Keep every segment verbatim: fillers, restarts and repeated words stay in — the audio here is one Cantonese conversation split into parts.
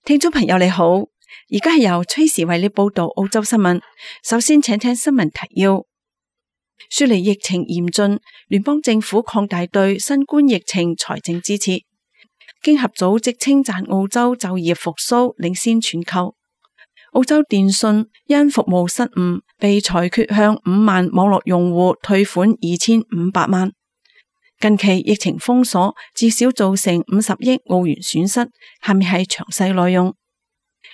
聽眾朋友你好，而家係由崔時為你報道澳洲新聞。首先請聽新聞提要。雪梨疫情嚴峻，聯邦政府擴大對新冠疫情財政支持。經合組織稱讚澳洲就業復甦領先全球。澳洲電信因服務失誤被裁決向五萬網絡用戶退款二千五百萬。近期疫情封鎖至少造成五十億澳元損失。下面係詳細內容。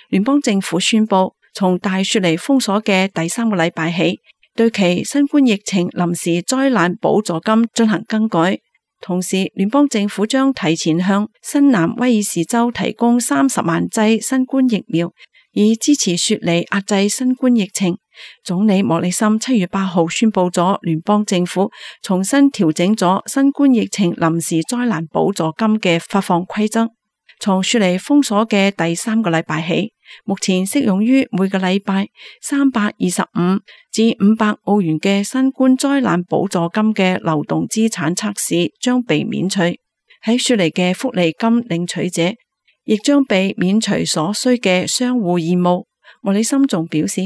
聯邦政府宣布，從大雪梨封鎖嘅第三個禮拜起，對其新冠疫情臨時災難補助金進行更改。同時，聯邦政府將提前向新南威爾士州提供三十萬劑新冠疫苗，以支持雪梨壓制新冠疫情。總理莫里森七月八號宣布咗聯邦政府重新調整咗新冠疫情臨時災難補助金嘅發放規則。從雪梨封鎖嘅第三個禮拜起，目前適用於每個禮拜三百二十五至五百澳元嘅新冠災難補助金嘅流動資產測試將被免除。喺雪梨嘅福利金領取者亦將被免除所需嘅商戶義務。莫里森仲表示，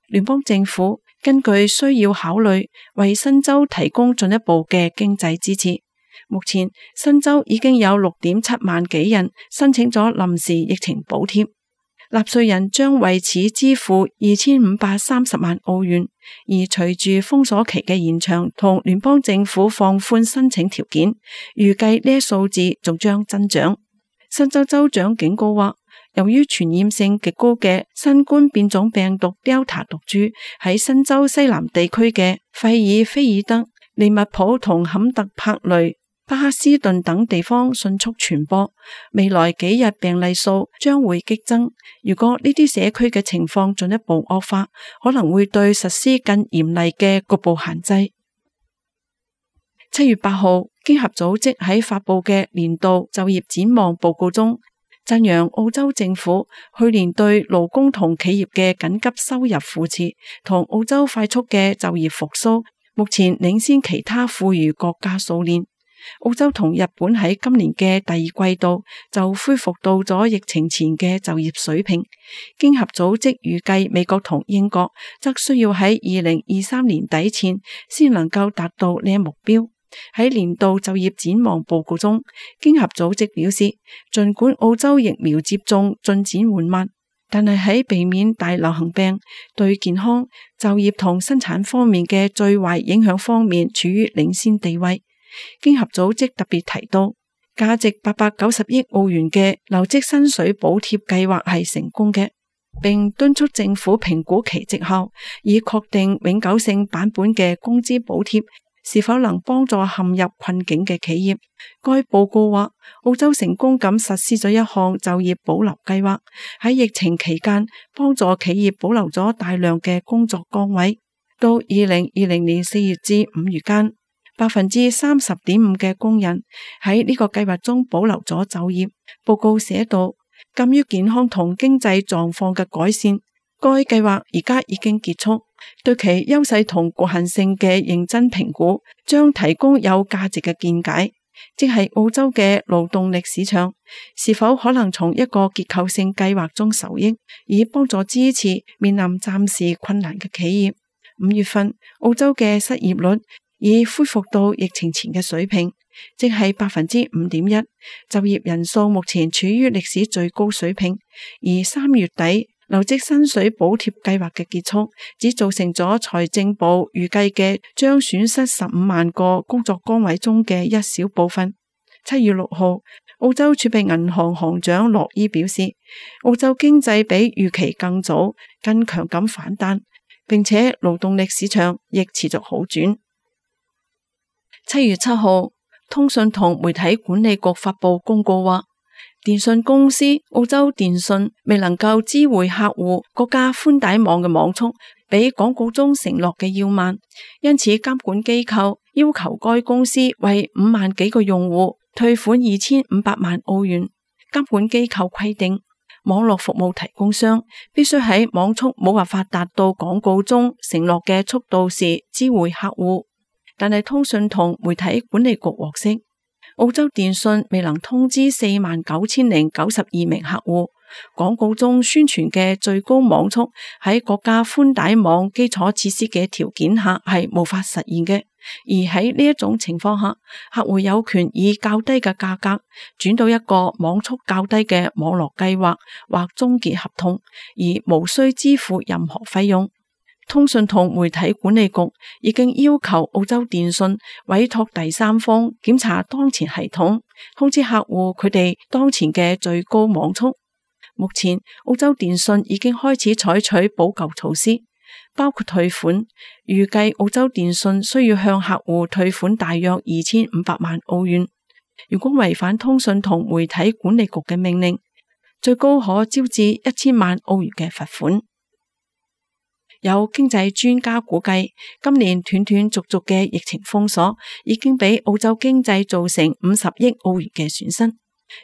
聯邦政府根據需要考慮為新州提供進一步嘅經濟支持。目前新州已經有六點七萬幾人申請咗臨時疫情補貼，納稅人將為此支付二千五百三十萬澳元。而隨住封鎖期嘅延長同聯邦政府放寬申請條件，預計呢一數字仲將增長。新州州長警告話，由於傳染性極高嘅新冠變種病毒 Delta 毒株喺新州西南地區嘅費爾菲爾德、利物浦同坎特柏雷、巴克斯頓等地方迅速傳播，未來幾日病例數將會激增。如果呢啲社區嘅情況進一步惡化，可能會對實施更嚴厲嘅局部限制。七月八號，經合組織喺發佈嘅年度就業展望報告中，讚揚澳洲政府去年對勞工同企業嘅緊急收入扶持同澳洲快速嘅就業復甦，目前領先其他富裕國家數年。澳洲同日本喺今年嘅第二季度就恢復到咗疫情前嘅就業水平。經合組織預計美國同英國則需要喺二零二三年底前先能夠達到呢一目標。喺年度就業展望報告中，經合組織表示，儘管澳洲疫苗接種進展緩慢，但係喺避免大流行病對健康、就業同生產方面嘅最壞影響方面處於領先地位。經合組織特別提到，價值八百九十億澳元嘅留職薪水補貼計劃係成功嘅，並敦促政府評估其績效，以確定永久性版本嘅工資補貼是否能幫助陷入困境嘅企業。該報告話，澳洲成功咁實施咗一項就業保留計劃，喺疫情期間幫助企業保留咗大量嘅工作崗位。到二零二零年四月至五月間，百分之三十點五嘅工人喺呢個計劃中保留咗就業。報告寫到，鑒於健康同經濟狀況嘅改善，該計劃而家已經結束。對其優勢同局限性嘅認真評估，將提供有價值嘅見解，即係澳洲嘅勞動力市場是否可能從一個結構性計劃中受益，以幫助支持面臨暫時困難嘅企業。五月份，澳洲嘅失業率已恢復到疫情前嘅水平，即係百分之五點一。就業人數目前處於歷史最高水平，而三月底留職薪水補貼計劃嘅結束，只造成咗財政部預計嘅將損失十五萬個工作崗位中嘅一小部分。七月六號，澳洲儲備銀行行長洛伊表示，澳洲經濟比預期更早、更強咁反彈，並且勞動力市場亦持續好轉。七月七號，通訊同媒體管理局發佈公告話，電信公司澳洲電信未能夠知會客戶國家寬帶網嘅網速比廣告中承諾嘅要慢，因此監管機構要求該公司為五萬幾個用戶退款二千五百萬澳元。監管機構規定，網絡服務提供商必須喺網速冇辦法達到廣告中承諾嘅速度時知會客戶。但係通訊同媒體管理局獲悉，澳洲電信未能通知四萬九千零九十二名客戶，廣告中宣傳嘅最高網速喺國家寬帶網基礎設施嘅條件下係無法實現嘅。而喺呢一種情況下，客戶有權以較低嘅價格轉到一個網速較低嘅網絡計劃或終結合同，而無需支付任何費用。通訊同媒體管理局已經要求澳洲電信委託第三方檢查當前系統，通知客戶佢哋當前嘅最高網速。目前澳洲電信已經開始採取補救措施，包括退款。預計澳洲電信需要向客戶退款大約二千五百萬澳元。如果違反通訊同媒體管理局嘅命令，最高可招致一千萬澳元嘅罰款。有經濟專家估計，今年斷斷續續嘅疫情封鎖已經俾澳洲經濟造成五十億澳元嘅損失。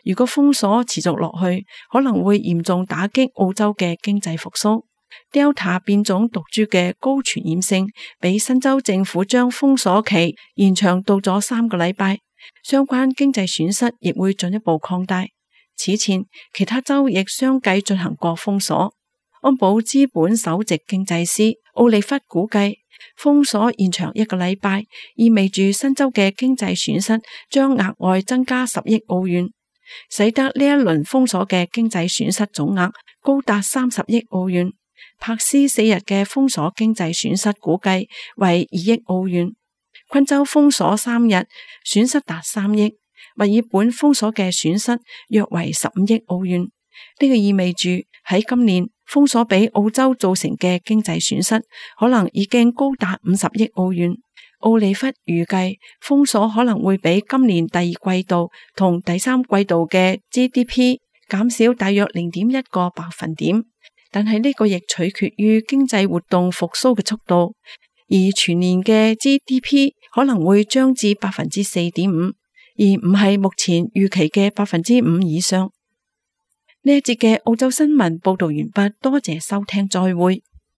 如果封鎖持續落去，可能會嚴重打擊澳洲嘅經濟復甦。Delta 變種毒株嘅高傳染性，比新州政府將封鎖期延長到咗三個禮拜，相關經濟損失亦會進一步擴大。此前，其他州亦相繼進行過封鎖。安保資本首席經濟師奧利弗估計，封鎖延長一個禮拜，意味住新州嘅經濟損失將額外增加十億澳元，使得呢一輪封鎖嘅經濟損失總額高達三十億澳元。柏斯四日嘅封鎖經濟損失估計為二億澳元，昆州封鎖三日損失達三億，墨爾本封鎖嘅損失約為十五億澳元。呢個意味住喺今年封鎖俾澳洲造成嘅經濟損失可能已經高達五十億澳元。奧利弗預計封鎖可能會比今年第二季度同第三季度嘅 G D P 減少大約零點一個百分點，但係呢個亦取決於經濟活動復甦嘅速度，而全年嘅 G D P 可能會漲至百分之四點五，而唔係目前預期嘅百分之五以上。呢一節嘅澳洲新聞報道完畢，多謝收聽，再會。